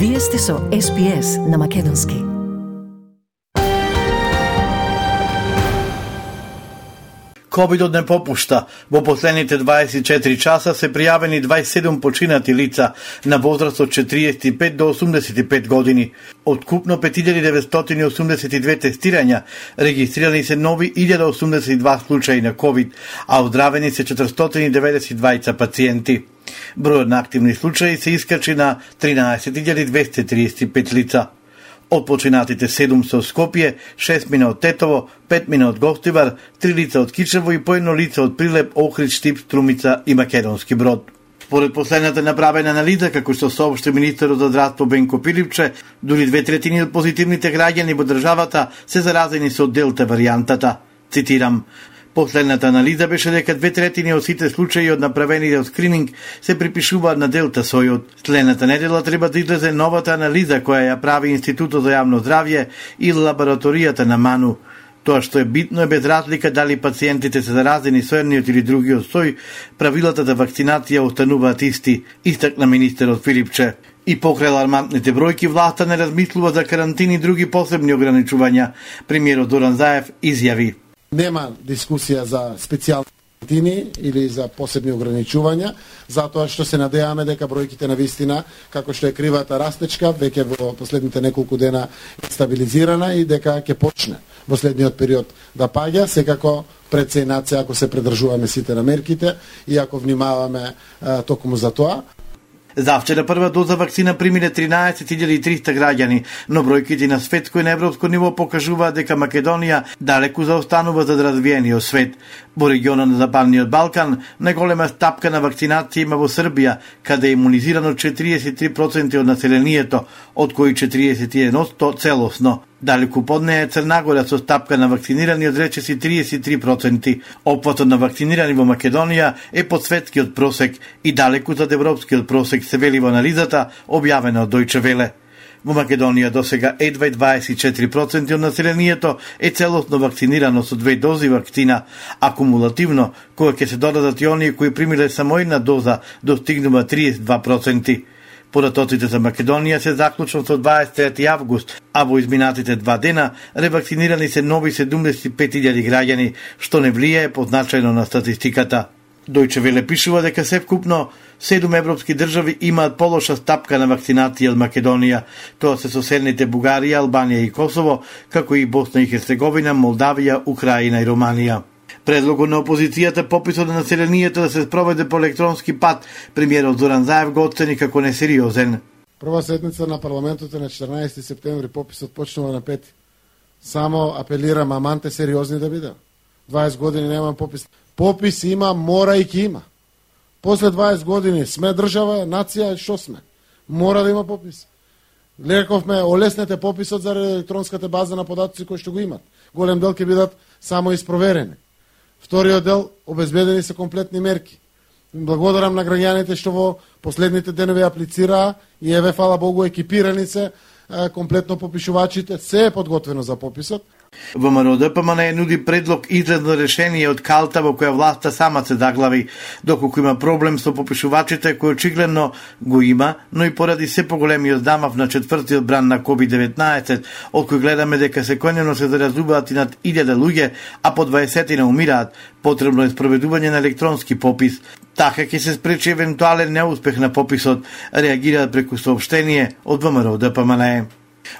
Вие сте со SPS на Македонски. Ковидот не попушта. Во последните 24 часа се пријавени 27 починати лица на возраст од 45 до 85 години. Од купно 5982 тестирања, регистрирани се нови 1082 случаи на ковид, а оздравени се 492 пациенти. Бројот на активни случаи се искачи на 13235 лица. Од починатите 7 се од Скопје, 6 мина од Тетово, 5 мина од Гостивар, 3 лица од Кичево и по едно лице од Прилеп, Охрид, Штип, Струмица и Македонски Брод. Според последната направена анализа, како што соопшти министерот за здравство Бенко Пилипче, дури 2/3 од позитивните граѓани во државата се заразени со делта варијантата. Цитирам: последната анализа беше дека 2/3 од сите случаи од направените од скрининг се припишуваат на делта сојот. Следната недела треба да излезе новата анализа која ја прави Институтот за јавно здравје и лабораторијата на МАНУ. Тоа што е битно е без разлика дали пациентите се заразени со едниот или другиот сој, правилата за вакцинација остануваат исти, истакна министерот Филипче. И покрај алармантните бројки, власта не размислува за карантини и други посебни ограничувања. Премиерот Зоран Заев изјави: нема дискусија за специјални карантини или за посебни ограничувања, затоа што се надеваме дека бројките на вистина, како што е кривата растечка, веќе во последните неколку дена е стабилизирана и дека ќе почне во следниот период да паѓа, секако пред се и над се ако се придржуваме сите на мерките и ако внимаваме токму за тоа. Завчера прва доза вакцина примиле 13300 граѓани, но бројките на светско и на европско ниво покажуваат дека Македонија далеку заостанува за развиениот свет. Во регионот на Западниот Балкан најголема стапка на вакцинација има во Србија, каде е имунизирано 43% од населението, од кои 41% целосно. Далеку под неја е Црнагора со стапка на вакцинирани од речиси 33%. Опфатот на вакцинирани во Македонија е под светскиот просек и далеку зад европскиот просек, се вели во анализата објавена од Дојче Веле. Во Македонија досега едва 24% од населението е целосно вакцинирано со 2 дози вакцина, а кумулативно, кога ќе се додадат и оние кои примиле само една доза, достигнува 32%. Поратоците за Македонија се заклучно со 23 август, а во изминатите 2 дена ревакцинирани се нови 75.000 граѓани, што не влијае позначајно на статистиката. Дојче Веле пишува дека севкупно 7 европски држави имаат полоша стапка на вакцинација од Македонија. Тоа се соседните Бугарија, Албанија и Косово, како и Босна и Херцеговина, Молдавија, Украина и Романија. Предлогот на опозицијата пописот на населението да се спроведе по електронски пат, премиерот Зоран Заев го оцени како несериозен. Прва седница на парламентот е на 14 септември, пописот почнува на 5. Само апелирам, аманте сериозни да биде. 20 години нема попис. Попис има, мора и ќе има. После 20 години сме држава, нација, што сме? Мора да има попис. Лековме, олеснете пописот за електронската база на податоци кои што го имат. Голем дел ќе бидат само испроверени. Вториот дел, обезбедени се комплетни мерки. Благодарам на граѓаните што во последните денови аплицираа и еве, фала Богу, екипирани се комплетно попишувачите, се е подготвено за пописот. ВМРО ДПМН нуди предлог излезно решение од калта во која власта сама се заглави, доколку има проблем со попишувачите кој очигледно го има, но и поради се поголемиот замав на четвртиот бран на COVID-19, од кој гледаме дека секојдневно се заразуваат и над 1000 луѓе, а по 20 умираат, потребно е спроведување на електронски попис. Така ќе се спречи евентуален неуспех на пописот, реагираат преку соопштение од ВМРО ДПМН.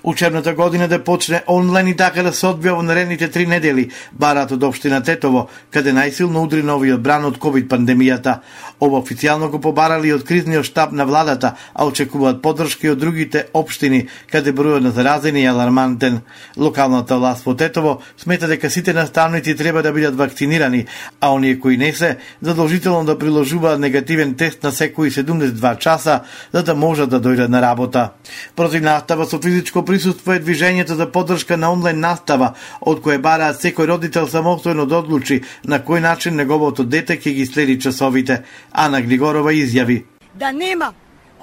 Учебната година да почне онлайн и така да се одвија во наредните 3 недели, барат од општина Тетово, каде најсилно удри новиот бран од ковид пандемијата. Ова официјално го побарали од кризниот штаб на владата, а очекуваат поддршка од другите општини, каде бројот на заразени е алармантен. Локалната власт во Тетово смета дека сите наставници треба да бидат вакцинирани, а оние кои не се, задолжително да приложуваат негативен тест на секои 72 часа, за да можат да дојдат на работа. Против настава со физичко присуство е движењето за поддршка на онлайн настава, од кој бараат секој родител самостојно да одлучи на кој начин неговото дете ќе ги следи часовите. Ана Глигорова изјави: да нема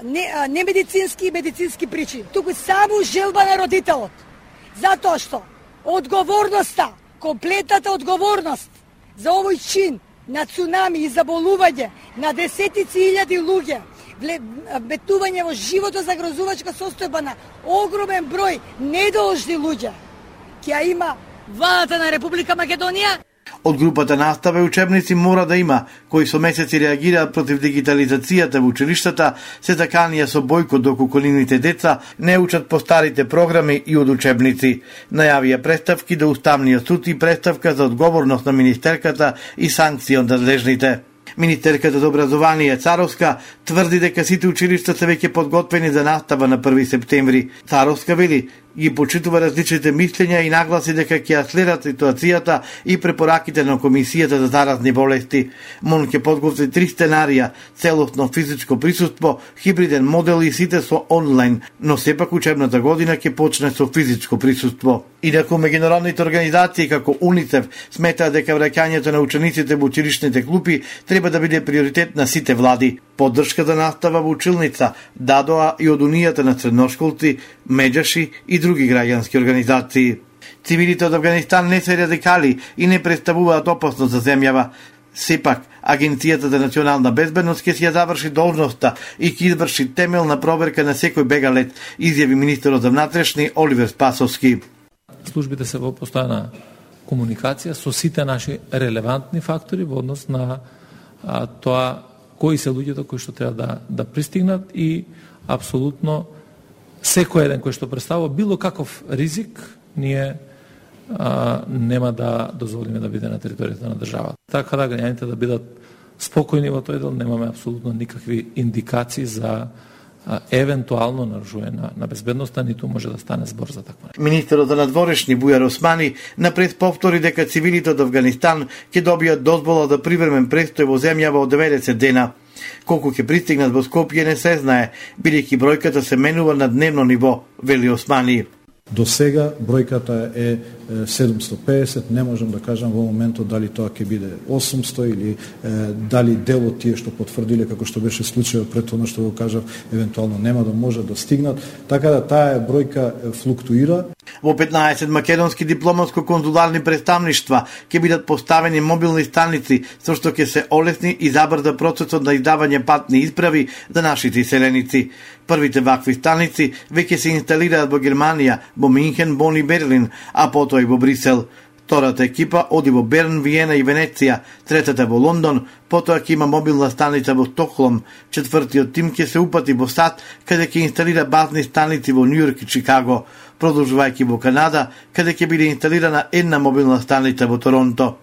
не медицински причини, туку само желба на родителот. Затоа што одговорноста, комплетната одговорност за овој чин на цунами и заболување на десетици илјади луѓе бетување во живото загрозувачка состојба на огромен број недолжни луѓе, ќе има владата на Република Македонија. Од групата Настава и учебници мора да има, кои со месеци реагираат против дигитализацијата во училиштата, се заканија со бојкот доколку нивните деца не учат по старите програми и од учебници. Најавија представки до Уставниот суд и представка за одговорност на министерката и санкции од надлежните. Министерката за образование Царовска тврди дека сите училишта се веќе подготвени за настава на 1 септември. Царовска вели, ги почитува различните мислења и нагласи дека ќе ја следат ситуацијата и препораките на Комисијата за заразни болести. МОН ќе подготви 3 сценарија: целосно физичко присуство, хибриден модел и сите со онлайн, но сепак учебната година ќе почне со физичко присуство. Инаку меѓународните организации како УНИЦЕФ сметаат дека враќањето на учениците во училишните клупи треба да биде приоритет на сите влади. Поддршка за настава во училница дадоа и од Унијата на средношколци, Меджаши и други граѓански организации. Цивилите од Авганистан не се радикали и не представуваат опасност за земјава. Сепак, Агенцијата за национална безбедност ќе си ја заврши должноста и ќе изврши темелна проверка на секој бегалец, изјави министерот за внатрешни Оливер Спасовски. Службите се во постојана комуникација со сите наши релевантни фактори во однос на тоа кои се луѓето кои што треба да пристигнат и апсолутно секој еден кој што представува било каков ризик, ние нема да дозволиме да биде на територијата на државата. Така да граѓаните да бидат спокојни во тој дел, немаме апсолутно никакви индикации за евентуално нарушување на безбедноста, ниту може да стане збор за таква. Министерот за надворешни Бујар Османи напред повтори дека цивилите од Авганистан ќе добијат дозвола за привремен престој во земјава од 90 дена. Колку ќе пристигнат во Скопје не се знае, бидејќи бројката се менува на дневно ниво, вели Османи. До сега бројката е 750, не можам да кажам во моментот дали тоа ќе биде 800 или дали дел од тие што потврдиле како што беше случајот пред тоа што го кажав, евентуално нема да може да стигнат, така да таа бројка флуктуира. Во 15 македонски дипломатско-конзуларни представништва ќе бидат поставени мобилни станици со што ќе се олесни и забрза процесот на издавање патни исправи за нашите иселеници. Првите вакви станици веќе се инсталираат во Германија, во Минхен, Бон и Берлин, а потоа и во Брисел. Втората екипа оди во Берн, Виена и Венеција, третата во Лондон, потоа ќе има мобилна станица во Стокхолм, четвртиот тим ќе се упати во САД, каде ќе инсталира базни станици во Њујорк и Чикаго, продолжувајќи во Канада, каде ќе биде инсталирана една мобилна станица во Торонто.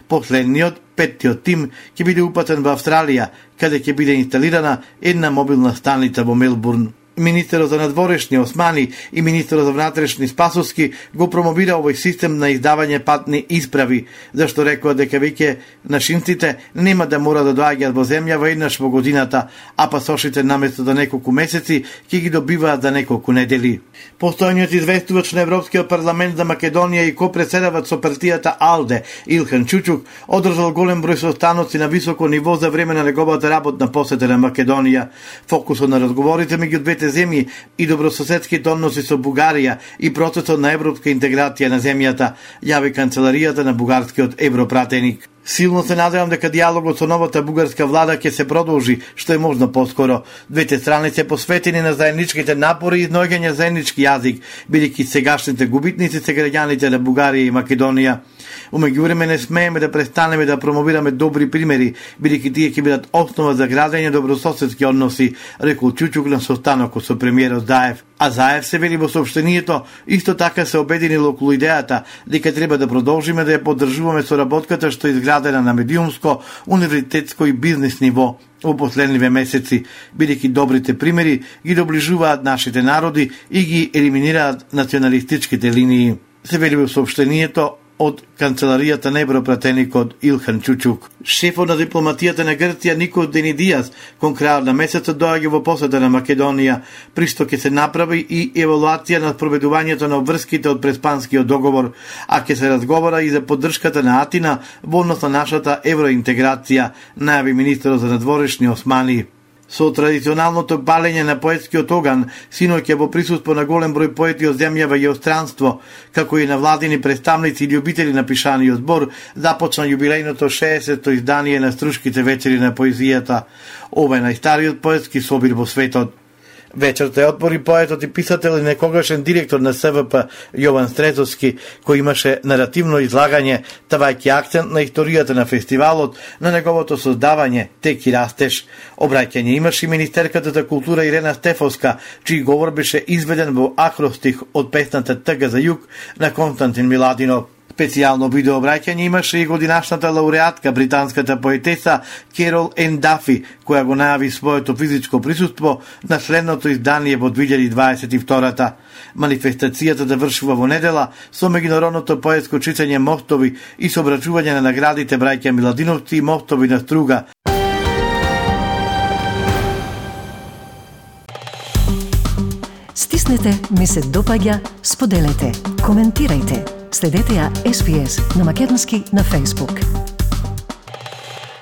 Последниот, петтиот тим, ќе биде упатен во Австралија, каде ќе биде инсталирана една мобилна станица во Мелбурн. Министерот за надворешни Османи и министерот за внатрешни Спасовски го промовира овој систем на издавање патни исправи, зашто рекоа дека веќе нашинците нема да мора да доаѓаат во земјава еднаш во годината, а пасошите наместо за неколку месеци ќе ги добиваат за неколку недели. Постојниот известувач на Европскиот парламент за Македонија и копредседавач со партијата АЛДЕ Илхан Чучук одржал голем број состаноци на високо ниво за време на неговата работна посета на Македонија. Фокусот на разговорите меѓу двете земји и добрососедските односи со Бугарија и процесот на европска интеграција на земјата, јави канцеларијата на бугарскиот европратеник. Силно се надевам дека диалогот со новата бугарска влада ќе се продолжи, што е можно поскоро. Двете страни се посветени на заедничките напори и изнаоѓање заеднички јазик, бидејќи сегашните губитници се граѓаните на Бугарија и Македонија. У меѓувреме не смееме да престанеме да промовираме добри примери, бидејќи тие ќе бидат основа за градење добрососедски односи, рекол Чучук на состанокот со премиерот Заев. А Заев се вели во соопштението, исто така се обединил околу идејата дека треба да продолжиме да ја поддржуваме соработката што е изградена на медиумско, универзитетско и бизнес ниво во последниве месеци, бидејќи добрите примери ги доближуваат нашите народи и ги елиминираат националистичките линии. Се вели во соопштението од канцеларијата на европратеникот Илхан Чучук. Шефот на дипломатијата на Грција Никос Денидијас кон крајот на месецот доаѓа во посета на Македонија, при што ќе се направи и евалуација на спроведувањето на обврските од Преспанскиот договор, а ќе се разговара и за поддршката на Атина во однос на нашата евроинтеграција, најави министерот за надворешни Османи. Со традиционалното палење на поетскиот оган, синоќа во присуство на голем број поети од земјава и од странство, како и на владини представници и љубители на пишаниот збор, започна јубилејното 60-то издание на Струшките вечери на поезијата. Ова е најстариот поетски собир во светот. Вечерта ја отвори поетот и писател и некогашен директор на СВП Јован Стрезовски, кој имаше наративно излагање, ставајќи акцент на историјата на фестивалот, на неговото создавање, тек и растеж. Обраќање имаше и министерката за култура Ирена Стефовска, чиј говор беше изведен во акростих од песната Тъга за југ на Константин Миладинов. Специјално видеообраќање имаше и годинашната лауреатка, британската поетеса Керол Ен Дафи, која го најави своето физичко присуство на следното издание во 2022-та. Манифестацијата завршува во недела со меѓународното поетско читање Мостови и со обрачување на наградите браќа Миладиновци и Мостови на Струга. Стиснете, ми се допаѓа, споделете, коментирајте. Следете ја SPS на Македонски на Facebook.